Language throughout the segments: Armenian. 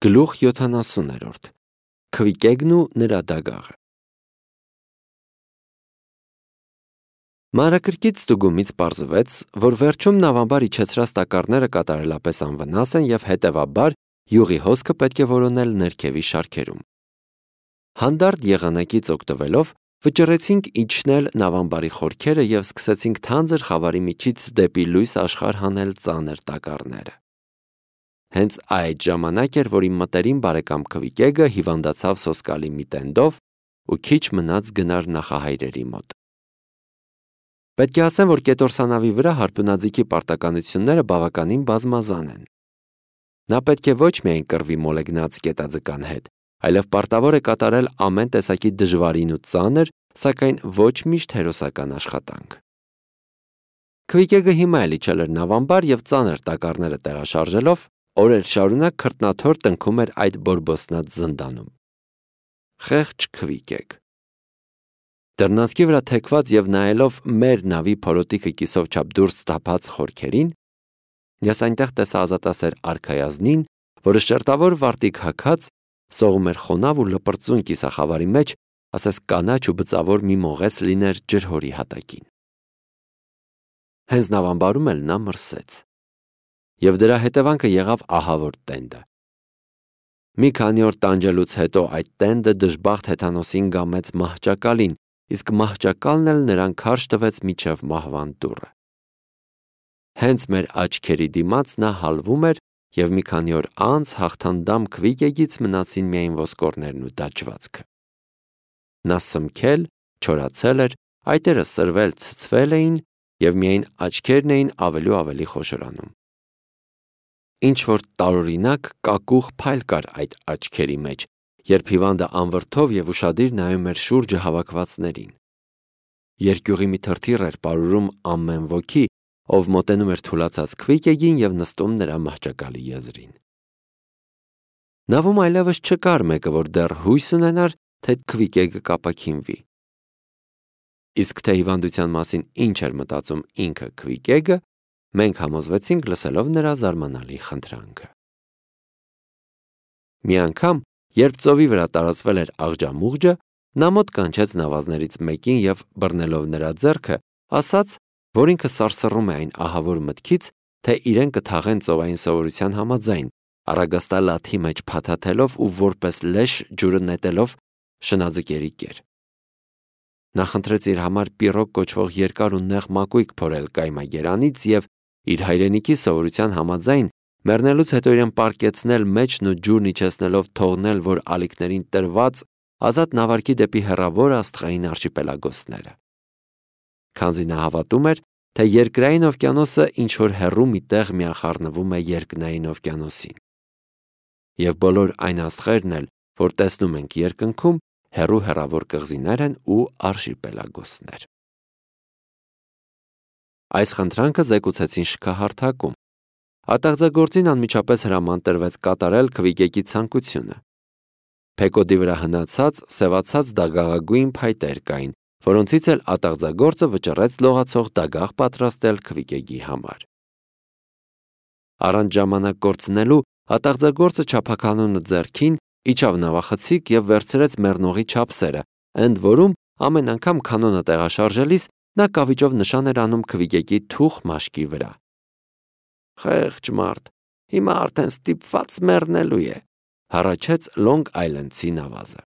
Գլուխ 70. Քվիկեգն ու նրա դագաղը։ Մանրակրկիտ ստուգումից պարզվեց, որ վերջում նավամբար իջեցրած տակառները կատարելապես անվնաս են և հետևաբար յուղի հոսքը պետք է որոնել ներքևի շարքերում։ Հանդարտ եղանակից օգտվելով վճռեցինք իջնել նավամբարի խորքերը և սկսեցինք թանձր խավարի միջից դեպի լույս աշխարհ հանել ծանր տակառները։ Հենց այդ ժամանակ էր, որ իմ մտերիմ բարեկամ Քվիկեգը հիվանդացավ սոսկալի մի տենդով ու քիչ մնաց գնար նախահայրերի մոտ։ Պետք է ասեմ, որ կետորսանավի վրա հարբունաձիգի պարտականությունները բավականին բազմազան են։ Նա պետք է ոչ միայն կռվի մոլեգնած կետաձկան հետ, այլև պարտավոր է կատարել ամեն տեսակի դժվարին ու ծանր, սակայն ոչ միշտ հերոսական աշխատանք։ Քվիկեգը հիմա էլ իջել էր նավամբար և ծանր տակառները տեղաշարժելով օրեր շարունակ քրտնաթոր տնքում էր այդ բորբոսնած զնդանում։ Խեղճ Քվիկեգ։ Դռնացքի վրա թեքված և նայելով մեր նավի փորոտիքը կիսով չափ դուրս թափած խորքերին, ես այնտեղ տեսա ազատասեր արքայազնին, որը շերտավոր վարտիք հագած սողում էր խոնավ ու լպրծուն կիսախավարի մեջ, ասես կանաչ ու բծավոր մի մողես լիներ ջրհորի հատակին։ Հենց նավամբարում էլ նա մրսեց։ Եվ դրա հետևանքը եղավ ահավոր տենդը։ Մի քանի օր տանջելուց հետո այդ տենդը դժբախտ հեթանոսին գամեց մահճակալին, իսկ մահճակալն էլ նրան քարշ տվեց մինչև մահվան դուռը։ Հենց մեր աչքերի դիմաց նա հալվում էր և մի քանի օր անց հաղթանդամ Քվիկեգից մնացին միայն ոսկորներն ու դաջվածքը։ Նա սմքել, չորացել էր, այտերը սրվել, ցցվել էին և միայն աչքերն էին ավելի ու ավելի խոշորանում։ Ինչ-որ տարօրինակ կակուղ փայլ կար այդ աչքերի մեջ, երբ հիվանդը անվրդով և ուշադիր նայում էր շուրջը հավաքվածներին։ Երկյուղի մի թրթիռ էր պարուրում ամեն ոգի, ով մոտենում էր թուլացած Քվիկեգին և նստում նրա մահճակալի եզրին։ Նավում այլևս չկար մեկը, որ դեռ հույս ունենար, թե Քվիկեգը կապաքինվի։ Իսկ թե հիվանդության մասին ինչ էր մտածում ինքը Քվիկեգը, մենք համոզվեցինք լսելով նրա զարմանալի խնդրանքը։ Մի անգամ, երբ ծովի վրա տարածվել էր աղջամուղջը, նա մոտ կանչեց նավազներից մեկին և բռնելով նրա ձեռքը, ասաց, որ ինքը սարսռում է այն ահավոր մտքից, թե իրեն կթաղեն ծովային սովորության համաձայն, առագաստա լաթի մեջ փաթաթելով ու որպես լեշ ջուրը նետելով շնաձկերի կեր։ Նա խնդրեց իր համար պիրոկ կոչվող երկար ու նեղ մակույկ փորել կայմագերանից և իր հայրենիքի սովորության համաձայն մեռնելուց հետո իրեն պառկեցնել մեջն ու ջուրն իջեցնելով թողնել, որ ալիքներին տրված ազատ նավարկի դեպի հեռավոր աստղային արշիպելագոսները։ Քանզի նա հավատում էր, թե երկրային օվկիանոսը ինչ-որ հեռու մի տեղ միախառնվում է երկնային օվկիանոսին։ Եվ բոլոր այն աստղերն էլ, որ տեսնում ենք երկնքում, հեռու-հեռավոր կղզիներ են ու արշիպելագոսներ։ Այս խնդրանքը զեկուցեցին շքահարթակում։ Ատաղձագործին անմիջապես հրաման տրվեց կատարել Քվիկեգի ցանկությունը։ Փեկոդի վրա հնացած, սևացած դագաղագույն փայտեր կային, որոնցից էլ ատաղձագործը վճռեց լողացող դագաղ պատրաստել Քվիկեգի համար։ Առանց ժամանակ կորցնելու ատաղձագործը չափականոնը ձեռքին իջավ նավախցիկ և վերցրեց մեռնողի չափսերը, ընդ որում ամեն անգամ կանոնը տեղաշարժելիս նա կավիճով նշան էր անում Քվիկեգի թուխ մաշկի վրա։ Խեղճ մարդ, հիմա արդեն ստիպված մեռնելու է, հառաչեց Լոնգ Այլենդցի նավազը։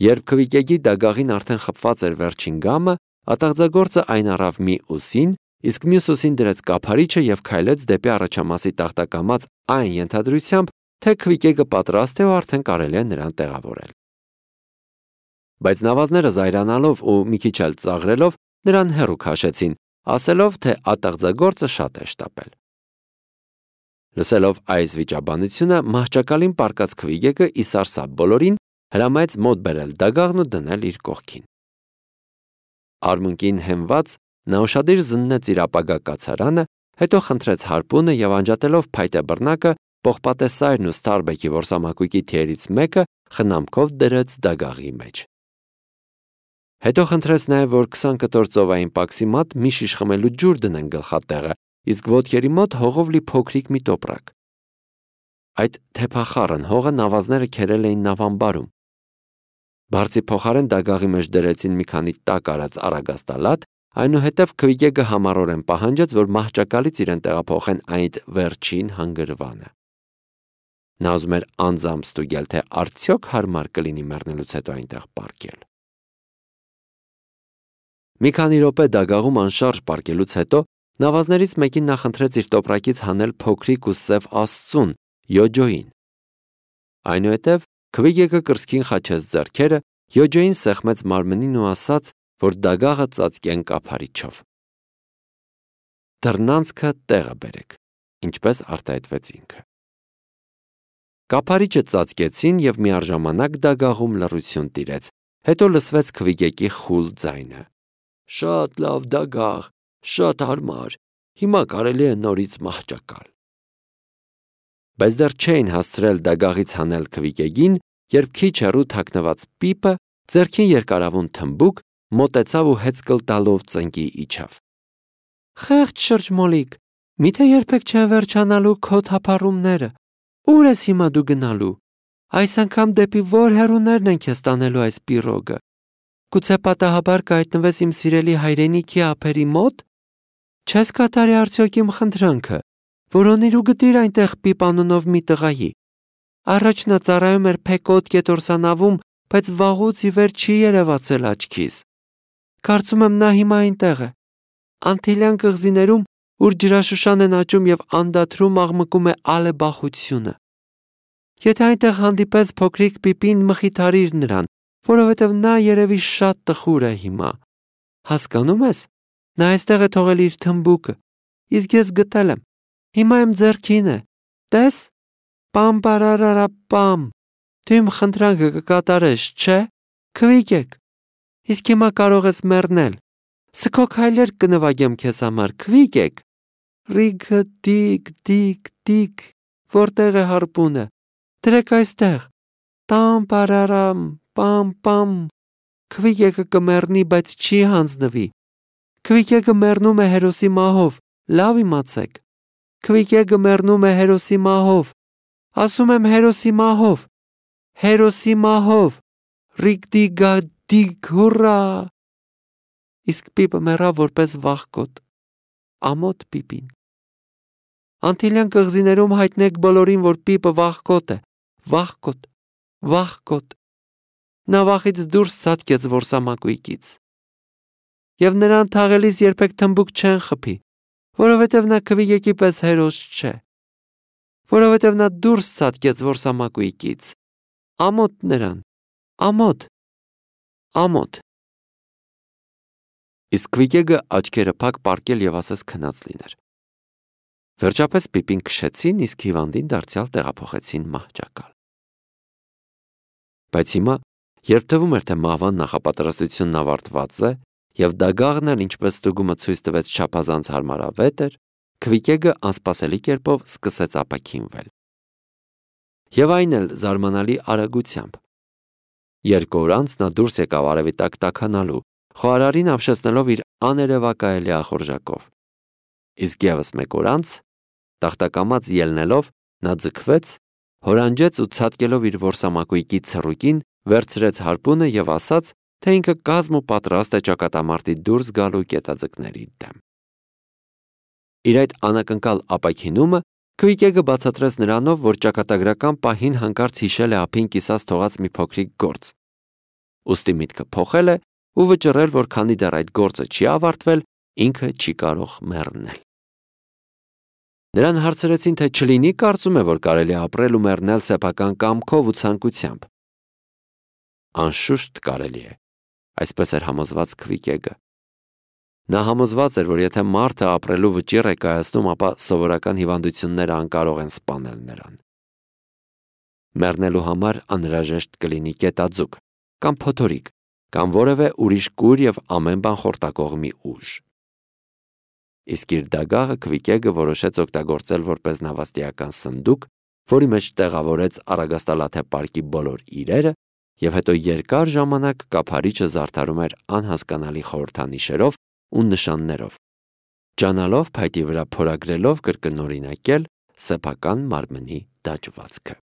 Երբ Քվիկեգի դագաղին արդեն խփված էր վերջին գամը, ատաղձագործը այն առավ մի ուսին, իսկ մյուս ուսին դրեց կափարիչը և քայլեց դեպի առաջամասի տախտակամած այն ենթադրությամբ, թե Քվիկեգը պատրաստ է ու արդեն կարելի է նրան տեղավորել։ Բայց նավազները զայրանալով ու մի քիչ էլ ծաղրելով նրան հեռու քաշեցին, ասելով, թե ատաղձագործը շատ է շտապել։ Լսելով այս վիճաբանությունը, մահճակալին պառկած Քվիկեգը ի սարսափ բոլորին հրամայեց մոտ բերել դագաղն ու դնել իր կողքին։ Արմունկին հենված նա ուշադիր զննեց իր ապագա կացարանը, հետո խնդրեց հարպունը և անջատելով փայտե բռնակը պողպատե սայրն ու Սթարբեքի որսամակույկի թիերից մեկը խնամքով դրեց դագաղի մեջ։ Հետո խնդրեց նաև, որ 20 կտոր ծովային պաքսի մատ մի շիշ խմելու ջուր դնեն գլխատեղը, իսկ ոտքերի մոտ հողով լի փոքրիկ մի տոպրակ։ Այդ թեփախառն հողը նավազները քերել էին նավամբարում։ Բարձի փոխարեն դագաղի մեջ դրեցին մի քանի տակ արած արագաստալատ, այնուհետև Քվիգեգը համառորեն պահանջեց, որ մահճակալից իրեն տեղափոխեն այդ վերջին հանգրվանը։ Նա ուզում էր անձամբ ստուգել, թե արդյոք հարմար կլինի մեռնելուց հետո այնտեղ պառկել։ Մի քանի րոպե դագաղում անշարժ պառկելուց հետո նավազներից մեկին նախընտրեց իր տոպրակից հանել փոքրիկ ու սև աստծուն, Յոջոին։ Այնուհետև Քվիգեգը կրծքին խաչեց ձեռքերը, Յոջոին սեղմեց մարմնին ու ասաց, որ դագաղը ծածկեն կափարիչով։ Դռնանցքը տեղը բերեք, ինչպես արտահայտվեց ինքը։ Կափարիչը ծածկեցին և միառժամանակ դագաղում լռություն տիրեց, հետո լսվեց Քվիգեգի խուլ ձայնը. «Շատ լավ դագաղ, շատ հարմար, հիմա կարելի է նորից մահճակալ»։ Բայց դեռ չէին հասցրել դագաղից հանել Քվիգեգին, երբ քիչ հեռու թաքնված Պիպը ձեռքին երկարավուն թմբուկ մոտեցավ ու հեծկլ տալով ծնկի իջավ։ «Խեղճ շրջմոլիկ, միթե երբեք չեն վերջանալու քո թափառումները, ուր ես հիմա դու գնալու, այս անգամ դեպի որ հեռուներն են քեզ տանելու այս պիրոգը, գուցե պատահաբար կհայտնվես իմ սիրելի հայրենիքի ափերի մոտ, չես կատարի արդյոք իմ խնդրանքը, որոնիր ու գտիր այնտեղ Պիպ անունով մի տղայի, առաջ նա ծառայում էր Փեկոտ կետորսանավում, բայց վաղուց ի վեր չի երևացել աչքիս, կարծում եմ նա հիմա այնտեղ է, Անտիլյան կղզիներում, ուր ջրաշշան են աճում և անդադրում աղմկում է ալեբախությունը։ Եթե այնտեղ հանդիպես փոքրիկ Պիպին, մխիթարիր նրան, որովհետև նա երևի շատ տխուր է հիմա։ Հասկանում ես, նա այստեղ է թողել իր թմբուկը, իսկ ես գտել եմ, հիմա իմ ձեռքին է, տես, պամ, դու իմ խնդրանքը կկատարես, չէ, Քվիգեգ, իսկ հիմա կարող ես մեռնել, սքո քայլեր կնվագեմ քեզ համար, Քվիգեգ, ռիգը դիկ, որտեղ է հարպունը, դրեք այստեղ, պամ, Քվիգեգը կմեռնի, բայց չի հանձնվի, Քվիգեգը մեռնում է հերոսի մահով, լավ իմացեք, Քվիգեգը մեռնում է հերոսի մահով, ասում եմ հերոսի մահով, ռիգդիգադիգ, հուրրա։ Իսկ Պիպը մեռավ որպես վախկոտ, ամոթ Պիպին։ Անտիլյան կղզիներում հայտնեք բոլորին, որ Պիպը վախկոտ է, վախկոտ։ Նա վախից դուրս ցատկեց որսամակույկից։ Եվ նրան թաղելիս երբեք թմբուկ չեն խփի, որովհետև նա Քվիգեգի պես հերոս չէ, որովհետև նա դուրս ցատկեց որսամակույկից, ամոթ նրան, ամոթ։ Իսկ Քվիգեգը աչքերը փակ պառկել և ասես քնած լիներ։ Վերջապես Պիպին քշեցին, իսկ հիվանդին դարձյալ տեղափոխեցին մահճակալ։ Բայց հիմա, երբ թվում էր, թե մահվան նախապատրաստությունն ավարտված է, և դագաղն էլ, ինչպես ստուգումը ցույց տվեց, չափազանց հարմարավետ էր, Քվիգեգը անսպասելի կերպով սկսեց ապաքինվել։ Եվ այն էլ զարմանալի արագությամբ։ 2 օր անց նա դուրս եկավ արևի տակ տաքանալու, խոհարարին ապշեցնելով իր աներևակայելի ախորժակով։ Իսկ ևս 1 օր անց, տախտակամած ելնելով, նա ձգվեց, հորանջեց ու ցատկելով իր որսամակույկի ցռուկին, վերցրեց հարպունը և ասաց, թե ինքը կազմ ու պատրաստ է ճակատամարտի դուրս գալու կետաձկների դեմ։ Իր այդ անակնկալ ապաքինումը Քվիգեգը բացատրեց նրանով, որ ճակատագրական պահին հանկարծ հիշել է ափին կիսած թողած մի փոքրիկ գործ։ Ուստի միտքը փոխել է ու վճռել, որ քանի դեռ այդ գործը չի ավարտվել, ինքը չի կարող մեռնել։ Նրան հարցրեցին, թե չլինի կարծում է, որ կարելի է ապրել ու մեռնել սեփական կամքով ու ցանկությամբ։ Անշուշտ կարելի է, այսպես էր համոզված Քվիգեգը։ Նա համոզված էր, որ եթե մարդը ապրելու վճիռ է կայացնում, ապա սովորական հիվանդությունները անկարող են սպանել նրան։ Մեռնելու համար անհրաժեշտ կլինի կետաձուկ, կամ փոթորիկ, կամ որևէ ուրիշ կույր և ամեն բան խորտակող մի ուժ։ Իսկ իր դագաղը Քվիգեգը որոշեց օգտագործել որպես նավաստիական սնդուկ, որի մեջ տեղավորեց առագաստալաթե պարկի բոլոր իրերը, և հետո երկար ժամանակ կափարիչը զարդարում էր անհասկանալի խորհրդանիշերով ու նշաններով, ջանալով փայտի վրա փորագրելով կրկնօրինակել, սեփական մարմնի դաջվածքը։